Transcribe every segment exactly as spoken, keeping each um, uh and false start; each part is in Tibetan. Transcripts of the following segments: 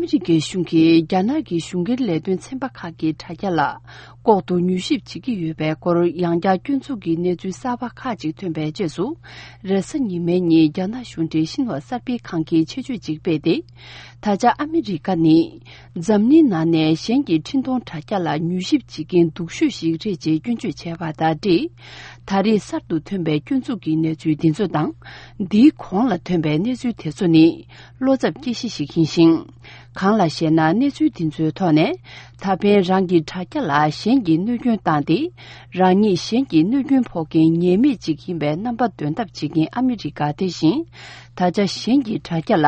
ཨ་མི་རི་ཀའི་གཞུང་གིས་རྒྱ་ནག་གི་གཞུང་སྒེར་ལས་དོན་ཚན་པ་ཁག་གི་དྲ་རྒྱ་ལ་ལྐོག་ཏུ་མྱུལ་ཞིབ་བྱེད་ཀྱི་ཡོད་པའི་སྐོར་ཡང་བསྐྱར་སྐྱོན་འཛུགས་ཀྱི་གནས་ཚུལ་གསར་པ་ཁག་ཅིག་ཐོན་པའི་རྗེས་སུ། རེས་གཟའ་ཉི་མའི་ཉིན་རྒྱ་ནག་གཞུང་འབྲེལ་ཤིན་ཧྭ་གསར་སྤེལ་ཁང་གིས་ཆེད་བརྗོད་ཅིག་སྤེལ་ཏེ། ད་ཆ་ཨ་མི་རི་ཀ་ནི་འཛམ་གླིང་ནང་ནས་གཞན་གྱི་འཕྲིན་གཏོང་དྲ་རྒྱ་ལ་མྱུལ་ཞིབ་བྱེད་མཁན་སྡུག་ཤོས་ཤིག་རེད་ཅེས་སྐྱོན་བརྗོད་བྱས་པ་དང་འབྲེལ། ད་རེས་གསར་དུ་ཐོན་པའི་སྐྱོན་འཛུགས་ཀྱི་གནས་ཚུལ་འདི་ཚོ་དང་། འདིའི་གོང་ལ་ཐོན་པའི་གནས་ཚུལ་དེ་ཚོ་ནི་བློ་འཚབ་སྐྱེ་གཞི་ཞིག་ཡིན་ཞིང་། གང་ལགས་ཤེ་ན། གནས་ཚུལ་འདི་ཚོའི་ཐོག་ནས་ད་ཕན་རང་གི་དྲ་རྒྱ་ལ་གཞན་གྱིས་གནོད་སྐྱོན་བཏང་སྟེ། རང་ཉིད་གཞན་གྱི་གནོད་སྐྱོན་ཕོག་མཁན་ཉེས་མེད་ཅིག་ཡིན་པའི་རྣམ་པ་འདོན་ཐབས་བྱེད་མཁན་ཨ་མི་རི་ཀ་དེ་བཞིན། ད་ཆ་གཞན་གྱི་དྲ་རྒྱ་ལ་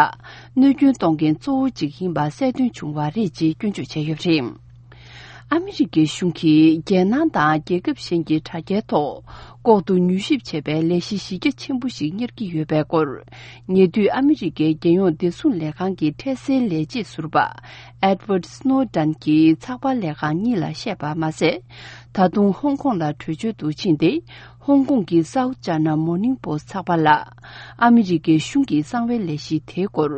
གནོད་སྐྱོན་གཏོང་མཁན་གཙོ་བོ་གཅིག་ཡིན་པ་གསལ་སྟོན་བྱུང་བ་རེད་ཅེས་སྐྱོན་བརྗོད་བྱས་ཡོད་པ་རེད། ཨ་མི་རི་ཀའི་གཞུང་གིས་རྒྱལ་ནང་དང་རྒྱལ་ཁབ་གཞན་གྱི་དྲ་རྒྱའི་ཐོག་ལྐོག་ཏུ་མྱུལ་ཞིབ་བྱས་པའི་ལས་གཞི་གཞི་རྒྱ་ཆེན་པོ་ཞིག་གཉེར་གྱི་ཡོད་པའི་སྐོར། ཉེ་དུས་ཨ་མི་རི་ཀའི་རྒྱལ་ཡོངས་བདེ་སྲུང་ལས་ཁང་གི་འཕྲལ་སེལ་ལས་བྱེད་ཟུར་པ་Edward Snowden་གྱིས་ཚགས་པར་ལས་ཁང་གཉིས་ལ་བཤད་པ་མ་ཟད། ད་དུང་ཧོང་ཀོང་ལ་བྲོས་བྱོལ་དུ་ཕྱིན་ཏེ། ཧོང་ཀོང་གི་South China Morning Post་ཚགས་པར་ལ། ཨ་མི་རི་ཀའི་གཞུང་གི་གསང་བའི་ལས་གཞི་དེའི་སྐོར་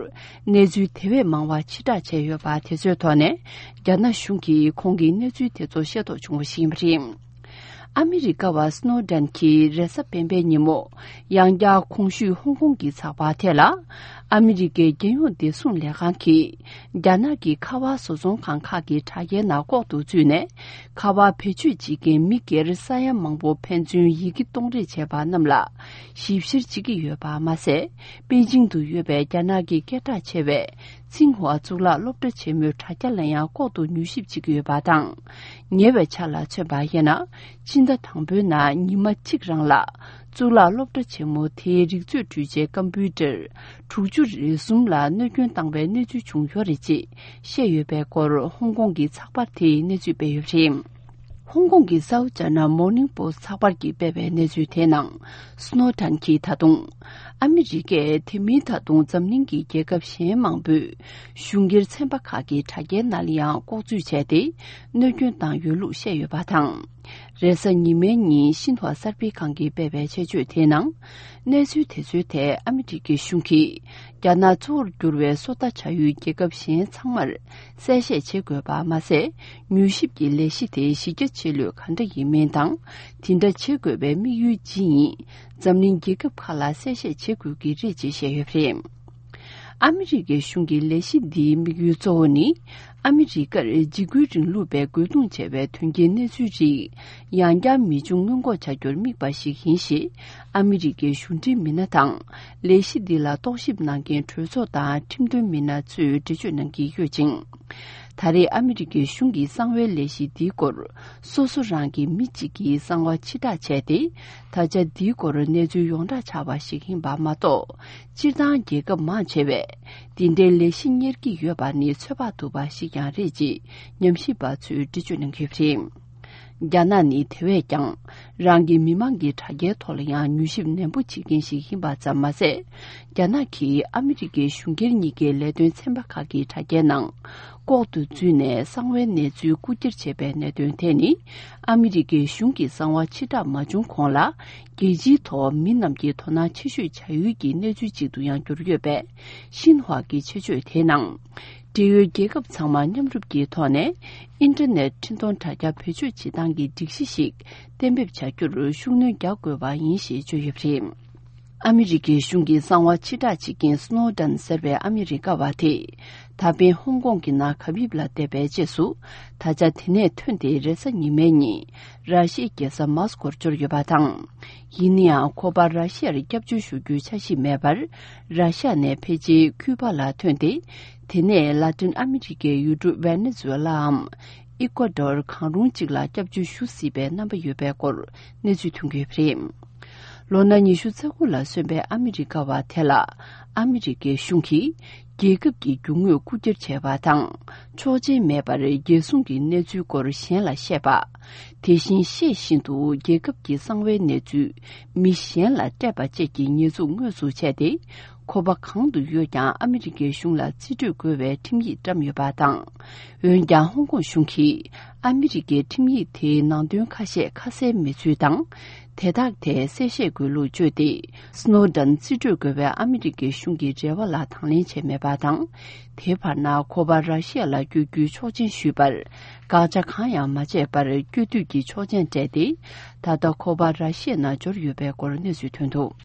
གནས་ཚུལ་དེ་བས་མང་བ་ཕྱིར་བསྒྲགས་བྱས་ཡོད་པ་དེ་ཚོའི་ཐོག་ནས། རྒྱ་ནག་གཞུང་གིས་ཁོང་གི་གནས་ཚུལ་དེ་ཚོ་ཤེས་རྟོགས་བྱུང་བ་ཞིག་ཡིན་པ་རེད། ཨ་མི་རི་ཀ་བ་Snowden་གྱིས་རེས་གཟའ་སྤེན་པའི་ཉིན་མོ། ཡང་བསྐྱར་གོང་ཞུས་ཧོང་ཀོང་གི་ཚགས་པར་དེ་ལ། ཨ་མི་རི་ཀའི་རྒྱལ་ཡོངས་བདེ་སྲུང་ལས་ཁང་གིས། རྒྱ་ནག་གི་ཁ་པར་བཟོ་ཚོང་ཁང་ཁག་གི་དྲ་རྒྱའི་ནང་ལྐོག་ཏུ་བཙུད་ནས། ཁ་པར་བེད་སྤྱོད་བྱེད་མཁན་མི་སྒེར་ས་ཡ་མང་པོ་ཕན་ཚུན་ཡི་གེ་གཏོང་རེས་བྱས་པ་རྣམས་ལ་ཞིབ་བཤེར་བྱེད་ཀྱི་ཡོད་པ་མ་ཟད། པེ་ཅིང་དུ་ཡོད་པའི་རྒྱ་ནག་གི་སྐད་གྲགས་ཆེ་བའི་ཚིང་ཧྭ་གཙུག་ལག་སློབ་གྲྭ་ཆེན་མོའི་དྲ་རྒྱ་ལ་ཡང་ལྐོག་ཏུ་མྱུལ་ཞིབ་བྱེད་ཀྱི་ཡོད་པ་དང་། ཉེ་བའི་ཆར་ལ་མཚོན་པ་ཡིན་ན། ཕྱི་ཟླ་དང་པོའི་ནང་ཉི་མ་གཅིག་རང་ལ། གཙུག་ལག་སློབ་གྲྭ་ཆེན་མོ་དེའི་རིག་མཛོད་འཕྲུལ་ཆས་ཀམ་པུའུ་ཊར་དྲུག་ཅུ་རེ་གསུམ་ལ་གནོད་སྐྱོན་བཏང་བའི་གནས་ཚུལ་བྱུང་ཡོད་རེད་ཅེས་བཤད་ཡོད་པའི་སྐོར་ཧོང་ཀོང་གི་ཚགས་པར་དེས་གནས་ཚུལ་སྤེལ་ཡོད་པ་རེད། ཧོང་ཀོང་གི་South China Morning Post་ཚགས་པར་གྱིས་སྤེལ་བའི་གནས་ཚུལ་དེའི་ནང་། Snowden་གྱིས་ད་དུང་། ཨ་མི་རི་ཀས་དེ་མིན་ད་དུང་འཛམ་གླིང་གི་རྒྱལ་ཁབ་གཞན་མང་པོས་གཞུང་སྒེར་ཚན་པ་ཁག་གི་དྲ་རྒྱའི་ནང་ལ་ཡང་ལྐོག་འཛུལ་བྱས་ཏེ། གནོད་སྐྱོན་བཏང་ཡོད་ལུགས་བཤད་ཡོད་པ་དང་། རེས་གཟའ་ཉི་མའི་ཉིན་ཤིན་ཧྭ་གསར་སྤེལ་ཁང་གིས་སྤེལ་བའི་ཆེད་བརྗོད་དེའི་ནང་། གནས་ཚུལ་དེ་ཚོའི་ཐད་ཨ་མི་རི་ཀའི་གཞུང་གིས། རྒྱ་ནག་གཙོ་བོར་གྱུར་བའི་སོ་ལྟ་བྱ་ཡུལ་རྒྱལ་ཁབ་གཞན་ཚང་མར་གསལ་བཤད་བྱེད་དགོས་པ་མ་ཟད། མྱུལ་ཞིབ་ཀྱི་ལས་གཞི་དེ་གཞི་རྒྱ་ཆེ་ལོས་ག་འདྲ་ཡིན་མིན་དང་། དེ་འདྲ་བྱེད་དགོས་པའི་དམིགས་ཡུལ་ཅི་ཡིན། འཛམ་གླིང་རྒྱལ་ཁབ་ཁག་ལ་གསལ་བཤད་བྱེད་དགོས་ཀྱི་རེད་ཅེས་བཤད་ཡོད་པ་རེད། ཨ་མི་རི་ཀའི་གཞུང་གི་ལས་གཞི་འདིའི་དམིགས་ཡུལ་གཙོ་བོ་ནི། ཨ་མི་རི་ཀར་འཇིགས་སྐུལ་རིང་ལུགས་པས་རྒོལ་རྡུང་བྱས་པའི་དོན་རྐྱེན་གནས་ཚུལ་རིགས། ཡང་བསྐྱར་མི་འབྱུང་སྔོན་འགོག་བྱ་རྒྱུར་དམིགས་པ་ཞིག་ཡིན་ཞེས། ཨ་མི་རི་ཀའི་གཞུང་འབྲེལ་མི་སྣ་དང་། ལས་གཞི་འདི་ལ་རྟོག་ཞིབ་གནང་མཁན་གྲོས་ཚོགས་དང་ཁྲིམས་དོན་མི་སྣ་ཚོས་འགྲེལ་བརྗོད་གནང་གི་ཡོད་ཅིང་། ད་རེས་ཨ་མི་རི་ཀའི་གཞུང་གི་གསང་བའི་ལས་གཞི་འདིའི་སྐོར། སོ་སོ་རང་གི་མི་གཅིག་གིས་གསང་བ་ཕྱིར་བསྒྲགས་བྱས་ཏེ། ད་ཆ་འདིའི་སྐོར་གནས་ཚུལ་ཡོངས་གྲགས་ཆགས་པ་ཞིག་ཡིན་པ་མ་གཏོགས། སྤྱིར་བཏང་རྒྱལ་ཁབ་མང་ཆེ་བས། འདི་འདྲའི་ལས་གཞི་གཉེར་གྱི་ཡོད་པ་ནི་ཚོད་དཔག་ཐུབ་པ་ཞིག་ཀྱང་རེད་ཅེས་ཉམས་ཞིབ་པ་ཚོས་འགྲེལ་བརྗོད་གནང་གི་ཡོད་པ་རེད། རྒྱ་ནག་ནི་དེ་བས་ཀྱང་རང་གི་མི་མང་གི་དྲ་རྒྱའི་ཐོག་ལ་ཡང་མྱུལ་ཞིབ་ནན་པོ་བྱེད་མཁན་ཞིག་ཡིན་པ་ཙམ་མ་ཟད། རྒྱ་ནག་གིས་ཨ་མི་རི་ཀའི་གཞུང་སྒེར་གཉིས་ཀའི་ལས་དོན་ཚན་པ་ཁག་གི་དྲ་རྒྱའི་ནང་ལྐོག་ཏུ་འཛུལ་ནས་གསང་བའི་གནས་ཚུལ་རྐུ་འཁྱེར་བྱས་པའི་གནད་དོན་དེ་ནི། ཨ་མི་རི་ཀའི་གཞུང་གི་གསང་བ་ཕྱིར་བསྒྲགས་མ་བྱུང་གོང་ལ། རྒྱལ་སྤྱིའི་ཐོག་མི་རྣམས་ཀྱིས་དོ་སྣང་ཆེ་ཤོས་བྱ་ཡུལ་གྱི་གནས་ཚུལ་ཅིག་ཏུ་ཡང་གྱུར་ཡོད་པས། ཤིན་ཧྭ་གི་ཆེད་བརྗོད་དེའི་ནང་། འབྲེལ་ཡོད་རྒྱལ་ཁབ་ཚང་མ་མཉམ་རུབ་ཀྱི་ཐོག་ནས། ཨིན་ཊར་ནེཊ་འཕྲིན་གཏོང་དྲ་རྒྱ་བེད་སྤྱོད་བྱེད་སྟངས་ཀྱི་སྒྲིག་གཞི་ཞིག་གཏན་འབེབས་བྱ་རྒྱུར་ཤུགས་སྣོན་རྒྱག་དགོས་པ་ཡིན་ཞེས་བརྗོད་ཡོད་པ་རེད། ཨ་མི་རི་ཀའི་གཞུང་གི་གསང་བ་ཕྱིར་བསྒྲགས་བྱེད་མཁན་སྣོ་ཌན་ཟེར་བའི་ཨ་མི་རི་ཀ་བ་དེས། ད་ཕན་ཧོང་ཀོང་གི་ནང་གབ་ཡིབ་ལ་བསྡད་པའི་རྗེས་སུ། ད་ཆ་དེ་ནས་ཐོན་ཏེ་རེས་གཟའ་ཉི་མའི་ཉིན། ར་ཤི་ཡའི་རྒྱལ་ས་མཱ་སི་ཀོར་འབྱོར་ཡོད་པ་དང་། ཡིན་ནའང་ཁོ་པ་ར་ཤི་ཡར་སྐྱབས་བཅོལ་ཞུ་རྒྱུའི་འཆར་གཞི་མེད་པར། ར་ཤི་ཡ་ནས་ཕལ་ཆེར་ཁྱུ་པ་ལ་ཐོན་ཏེ། དེ་ནས་ལ་ཏིན་ཨ་མི་རི་ཀའི་ཡུལ་གྲུ་ཝེ་ནེ་ཛུ་ཝེ་ལའམ། ཨི་ཀོ་ཌོར་གང་རུང་གཅིག་ལ་སྐྱབས་བཅོལ་ཞུ་སྲིད་པའི་རྣམ་པ་ཡོད་པའི་སྐོར་གནས་ཚུལ་ཐོན་གྱི་ཡོད་པ་རེད། ལོ་ན་ཉི་ཤུ་རྩ་དགུ་ལ་སོན་པའི་ཨ་མི་རི་ཀ་བ་དེ་ལ། ཨ་མི་རི་ཀའི་གཞུང་གིས། རྒྱལ་ཁབ་ཀྱི་རྒྱུ་དངོས་རྐུ་འཁྱེར་བྱས་པ་དང་། ཆོག་མཆན་མེད་པར་རྒྱལ་སྲུང་གི་གནས་ཚུལ་སྐོར་གཞན་ལ་བཤད་པ། དེ་བཞིན་ཤེས་བཞིན་དུ་རྒྱལ་ཁབ་ཀྱི་གསང་བའི་གནས་ཚུལ་མི་གཞན་ལ་སྤྲད་པ་བཅས་ཀྱི་ཉེས་འཛུགས་དངོས་སུ་བྱས་ཏེ། ཁོ་པ་གང་དུ་ཡོད་ཀྱང་ཨ་མི་རི་ཀའི་གཞུང་ལ་རྩིས་སྤྲོད་དགོས་པའི་ཁྲིམས་ཡིག་བཀྲམ་ཡོད་པ་དང་། འོན་ཀྱང་ཧོང་ཀོང་གཞུང་གིས་ཨ་མི་རི་ཀའི་ཁྲིམས་ཡིག་དེའི་ནང་དོན་ཁ་ཤས་ཁ་གསལ་མེད་ཚུལ་དང་། དེ་དག་ཐད་གསལ་བཤད་དགོས་ལུགས་བརྗོད་དེ། སྣོ་ཌན་རྩིས་སྤྲོད་དགོས་པའི་ཨ་མི་རི་ཀའི་གཞུང་གི་རེ་བ་ལ་དང་ལེན་བྱས་མེད་པ་དང་། དེའི་བར་ན་ཁོ་པ་ར་ཤི་ཡ་ལ་བསྐྱོད་རྒྱུའི་ཆོག་མཆན་ཞུས་པར། བཀག་ཆ་གང་ཡང་མ་བྱས་པར་བསྐྱོད་སྡོད་ཀྱི་ཆོག་མཆན་སྤྲད་དེ། ད་ལྟ་ཁོ་པ་ར་ཤི་ཡའི་ནང་འབྱོར་ཡོད་པའི་སྐོར་གནས་ཚུལ་ཐོན་འདུག